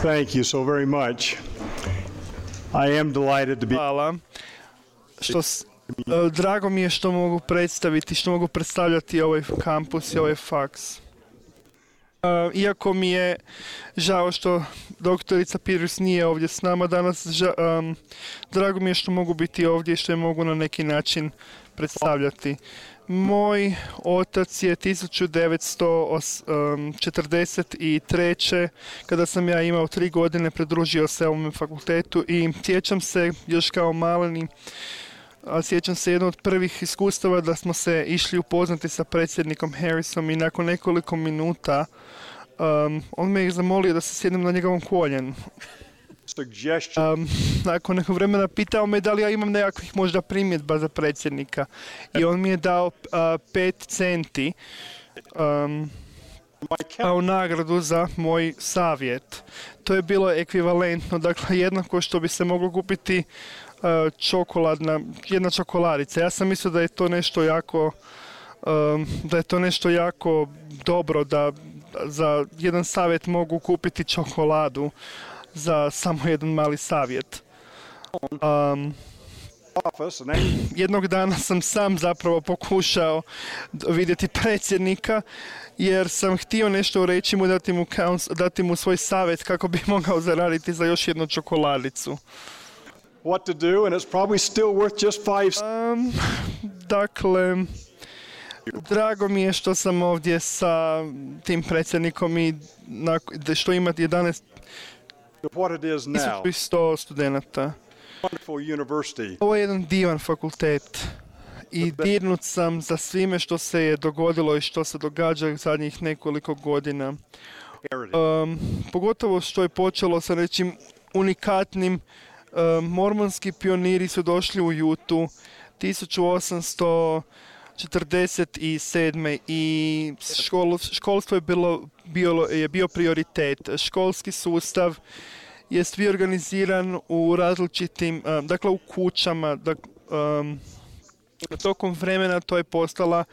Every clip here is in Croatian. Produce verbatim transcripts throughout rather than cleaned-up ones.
Thank you so very much. I am delighted to be... Hvala. Što s, e, drago mi je što mogu predstaviti, što mogu predstavljati ovaj kampus i ovaj faks. Uh, iako mi je žao što doktorica Peters nije ovdje s nama danas, ža, um, drago mi je što mogu biti ovdje i što je mogu na neki način predstavljati. Moj otac je tisuću devetsto četrdeset treće kada sam ja imao tri godine pridružio se ovom fakultetu i sjećam se još kao maleni, a sjećam se jedno od prvih iskustava da smo se išli upoznati sa predsjednikom Harrisom i nakon nekoliko minuta um, on me je zamolio da se sjednem na njegovom koljenu. Um, nakon nekog vremena pitao me da li ja imam nekakvih možda primjedba za predsjednika i on mi je dao uh, pet centi um, kao nagradu za moj savjet. To je bilo ekvivalentno, dakle jednako što bi se moglo kupiti uh, čokoladna, jedna čokoladica. Ja sam mislio da je to nešto jako um, da je to nešto jako dobro da za jedan savjet mogu kupiti čokoladu za samo jedan mali savjet. Um, jednog dana sam sam zapravo pokušao vidjeti predsjednika jer sam htio nešto reći mu, dati mu, dati mu svoj savjet kako bi mogao zaraditi za još jednu čokoladicu. What to do, and it's probably still worth just five. Um, dakle, drago mi je što sam ovdje sa tim predsjednikom i na, što ima jedanaest tisuću sto studenata. Ovo je jedan divan fakultet i dirnut sam za svime što se je dogodilo i što se događa zadnjih nekoliko godina. Um, pogotovo što je počelo sa nečim unikatnim. Um, mormonski pioniri su došli u Jutu tisuću osamsto četrdeset sedme i škol, školstvo je, bilo, bilo, je bio prioritet. Školski sustav je bio organiziran u različitim, um, dakle u kućama, dak, um, tokom vremena to je postala,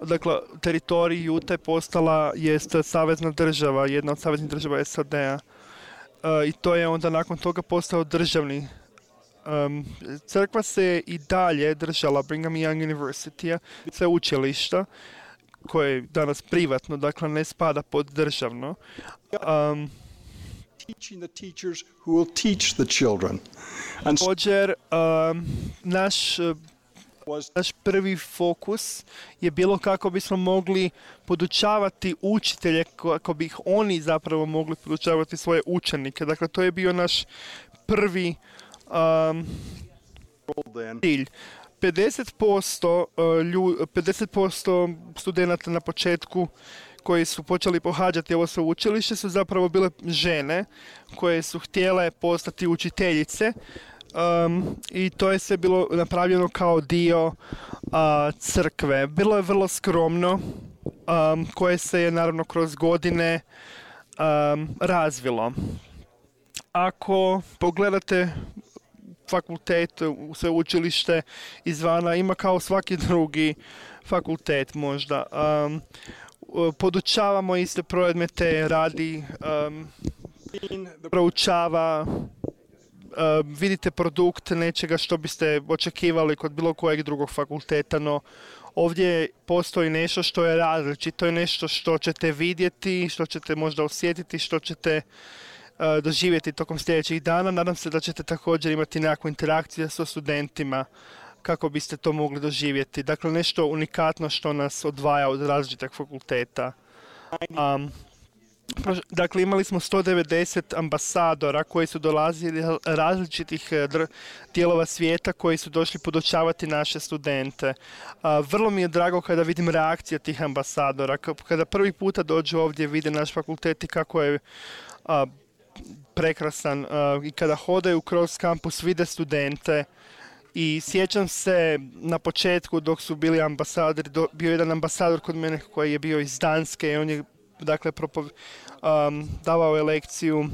dakle teritorij Jute je postala jest savezna država, jedna od saveznih država S A D-a uh, i to je onda nakon toga postao državni. Um, crkva se i dalje držala Brigham Young University-a, sveučilišta, koje je danas privatno, dakle ne spada pod državno. Um, Također, um, naš, naš prvi fokus je bilo kako bismo mogli podučavati učitelje, kako bi ih oni zapravo mogli podučavati svoje učenike. Dakle, to je bio naš prvi Um, cilj. pedeset posto, uh, lju, pedeset posto studenata na početku koji su počeli pohađati ovo sveučilište su zapravo bile žene koje su htjele postati učiteljice um, i to je sve bilo napravljeno kao dio uh, crkve. Bilo je vrlo skromno, um, koje se je naravno kroz godine um, razvilo. Ako pogledate fakultet, sveučilište izvana, ima kao svaki drugi fakultet možda. Um, podučavamo iste predmete, radi, um, proučava, um, vidite produkt nečega što biste očekivali kod bilo kojeg drugog fakulteta, no ovdje postoji nešto što je različito, je nešto što ćete vidjeti, što ćete možda osjetiti, što ćete doživjeti tokom sljedećih dana. Nadam se da ćete također imati nekakvu interakciju sa studentima kako biste to mogli doživjeti. Dakle, nešto unikatno što nas odvaja od različitih fakulteta. Um, dakle, imali smo sto devedeset ambasadora koji su dolazili različitih dijelova svijeta koji su došli podučavati naše studente. Uh, vrlo mi je drago kada vidim reakcije tih ambasadora. Kada prvi puta dođu ovdje, vide naš fakultet i kako je uh, prekrasan uh, i kada hodaju kroz kampus vide studente i sjećam se na početku dok su bili ambasadori, do, bio jedan ambasador kod mene koji je bio iz Danske i on je dakle propov, um, davao je lekciju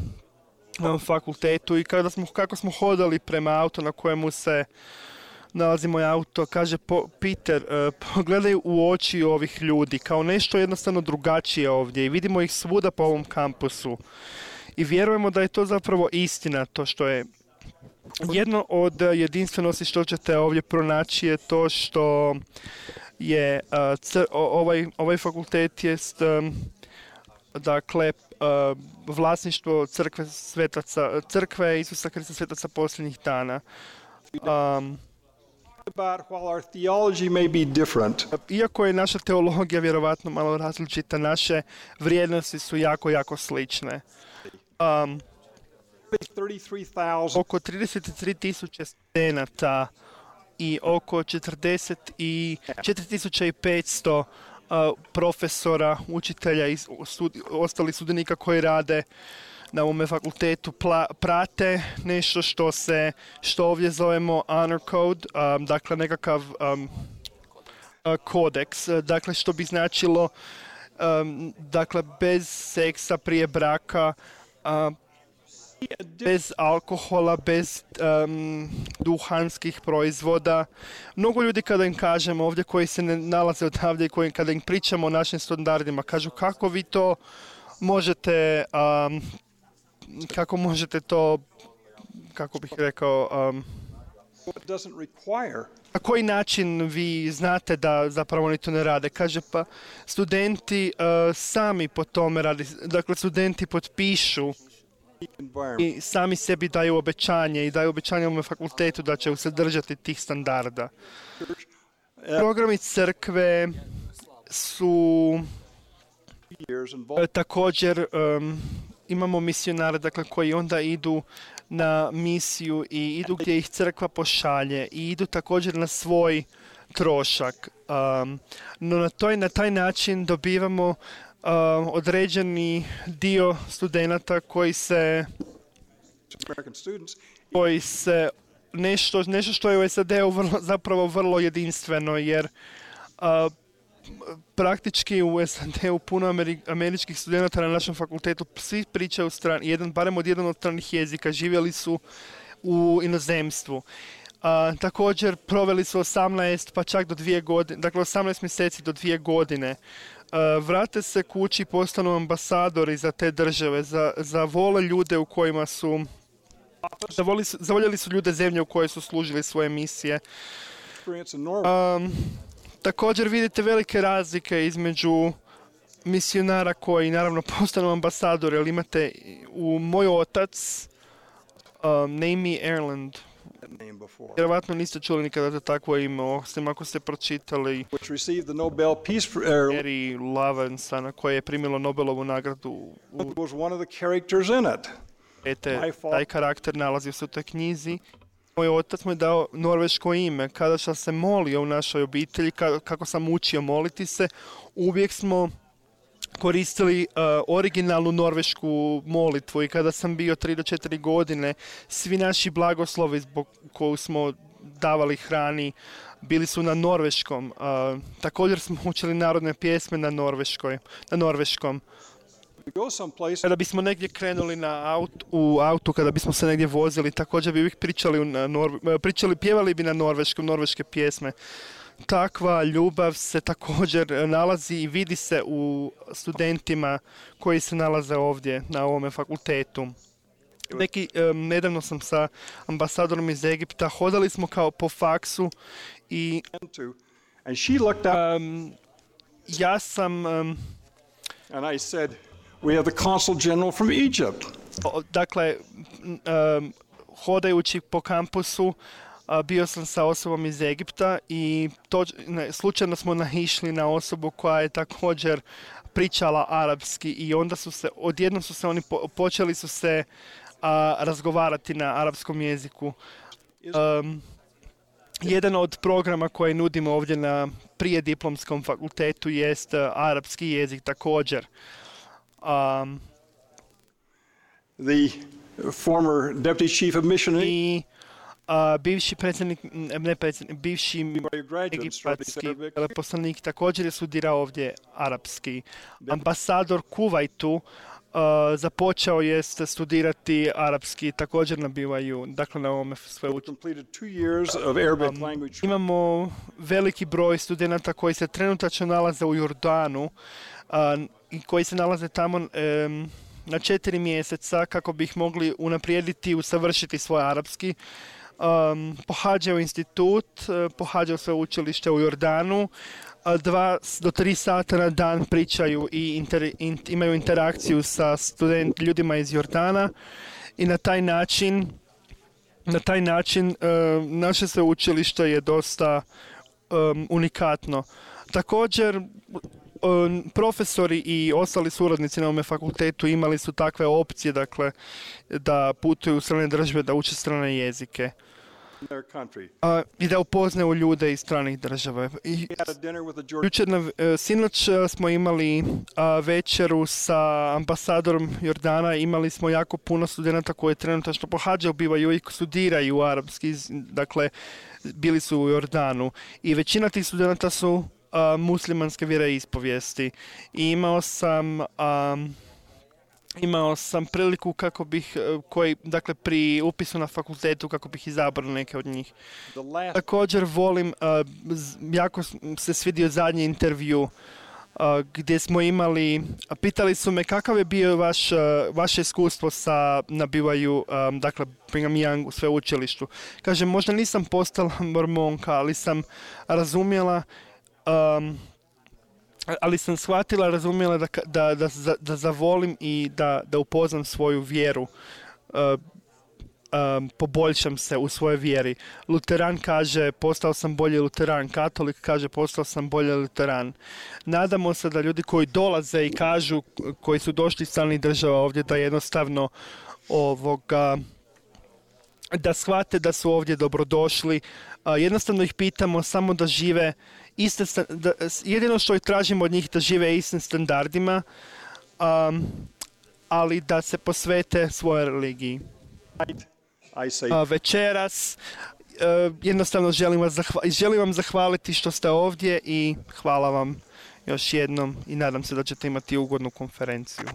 na fakultetu i kada smo, kako smo hodali prema auto na kojemu se nalazi moj auto, kaže po, Peter, uh, pogledaj u oči ovih ljudi kao nešto jednostavno drugačije ovdje i vidimo ih svuda po ovom kampusu. I vjerujemo da je to zapravo istina, to što je jedno od jedinstvenosti što ćete ovdje pronaći je to što je uh, cr- ovaj, ovaj fakultet jest um, dakle uh, vlasništvo crkve svetaca, crkve Isusa Krista svetaca posljednjih dana. Um, about while our theology may be different, Iako je naša teologija vjerovatno malo različita, naše vrijednosti su jako, jako slične. Um, thirty-three thousand oko trideset tri tisuće studenata i oko četrdeset četiri tisuće petsto uh, profesora, učitelja i stud, ostalih studenika koji rade na ovome fakultetu pla, prate nešto što se, što ovdje zovemo honor code, um, dakle nekakav um, uh, kodeks, dakle što bi značilo um, dakle bez seksa prije braka, uh, bez alkohola, bez um, duhanskih proizvoda. Mnogo ljudi kada im kažemo ovdje koji se ne nalaze odavdje i koji kada im pričamo o našim standardima, kažu kako vi to možete, um, kako možete to, kako bih rekao, um, na koji način vi znate da zapravo oni to ne rade? Kaže pa studenti uh, sami po tome radi, dakle studenti potpišu i sami sebi daju obećanje i daju obećanje ovom fakultetu da će se držati tih standarda. Programi crkve su e, također um, imamo misionare dakle, koji onda idu na misiju i idu gdje ih crkva pošalje i idu također na svoj trošak. Um, no na, toj, na taj način dobivamo Uh, određeni dio studenata koji se koji se nešto, nešto što je u S A D-u vrlo, zapravo vrlo jedinstveno jer uh, praktički u S A D-u puno Ameri, američkih studenata na našem fakultetu svi pričaju strani, jedan, barem od jedan od stranih jezika, živjeli su u inozemstvu. Uh, također proveli su osamnaest pa čak do dvije godine, dakle osamnaest mjeseci do dvije godine. Uh, vrate se kući, postanu ambasadori za te države, za, za vole ljude u kojima su, zavoli, zavoljeli su ljude zemlje u kojoj su služili svoje misije. Um, također vidite velike razlike između misionara koji naravno postanu ambasadori, ali imate u moj otac, um, Naomi Erland. Vjerovatno niste čuli nikada za takvo ime, osim ako ste pročitali Mary Levinson, koja je primila Nobelovu nagradu. Ete, taj karakter nalazi se u toj knjizi. Moj otac mu je dao norveško ime. Kada sam se molio u našoj obitelji, kako sam učio moliti se, uvijek smo koristili uh, originalnu norvešku molitvu i kada sam bio tri do četiri godine, svi naši blagoslovi zbog koju smo davali hrani bili su na norveškom. Uh, također smo učili narodne pjesme na norveškoj, na norveškom. Kada bismo negdje krenuli na aut, u autu, kada bismo se negdje vozili, također bi uvijek pričali, na Norve, pričali, pjevali bi na norveškom, norveške pjesme. Takva ljubav se također nalazi i vidi se u studentima koji se nalaze ovdje na ovome fakultetu. Neki, um, nedavno sam sa ambasadorom iz Egipta, hodali smo kao po faksu i um, ja sam um, and I said, we have the consul general from Egypt. Dakle, um, hodajući po kampusu, bio sam sa osobom iz Egipta i to, ne, slučajno smo naišli na osobu koja je također pričala arapski i onda su se, odjednom su se oni po, počeli su se a, razgovarati na arapskom jeziku. Um, jedan od programa koje nudimo ovdje na prijediplomskom fakultetu jest uh, arapski jezik također. Um, The former deputy chief of mission i Uh, bivši predsjednik, ne predsjednik, bivši egipatski veleposlanik također je studirao ovdje arapski. Ambasador Kuvajtu uh, započeo je studirati arapski također na B Y U, dakle na ovome sveučilištu. Um, imamo veliki broj studenata koji se trenutačno nalaze u Jordanu uh, i koji se nalaze tamo um, na četiri mjeseca kako bi ih mogli unaprijediti i usavršiti svoj arapski. Um, pohađaju institut, uh, pohađaju sveučilište u Jordanu, a dva do tri sata na dan pričaju i inter, in, imaju interakciju sa student, ljudima iz Jordana i na taj način na taj način uh, naše sveučilište je dosta um, unikatno. Također um, profesori i ostali suradnici na ovome fakultetu imali su takve opcije, dakle, da putuju u strane države, da uče strane jezike. A, i da upoznaju ljude iz stranih država. I, jučer na, sinoć smo imali a, večeru sa ambasadorom Jordana. Imali smo jako puno studenata koji trenutačno pohađaju, bivaju i studiraju arapski, dakle bili su u Jordanu. I većina tih studenata su a, muslimanske vjeroispovijesti. I imao sam... A, Imao sam priliku kako bih, koji, dakle pri upisu na fakultetu, kako bih izabrao neke od njih. Last... Također volim, uh, jako se svidio zadnji intervju uh, gdje smo imali, pitali su me kakav je bio vaš, uh, vaše iskustvo sa nabivaju, um, dakle Brigham Young u sveučilištu. Kažem, možda nisam postala mormonka, ali sam razumjela um, ali sam shvatila, razumjela da, da, da, da zavolim i da, da upoznam svoju vjeru, uh, um, poboljšam se u svojoj vjeri. Luteran kaže, postao sam bolji luteran, katolik kaže, postao sam bolji luteran. Nadamo se da ljudi koji dolaze i kažu, koji su došli iz stranih država ovdje, da jednostavno ovoga, da shvate da su ovdje dobrodošli. Uh, jednostavno ih pitamo samo da žive iste, da, jedino što ih tražimo od njih da žive istim standardima, um, ali da se posvete svojoj religiji. Uh, večeras uh, jednostavno želim, vas zahva- želim vam zahvaliti što ste ovdje i hvala vam još jednom i nadam se da ćete imati ugodnu konferenciju.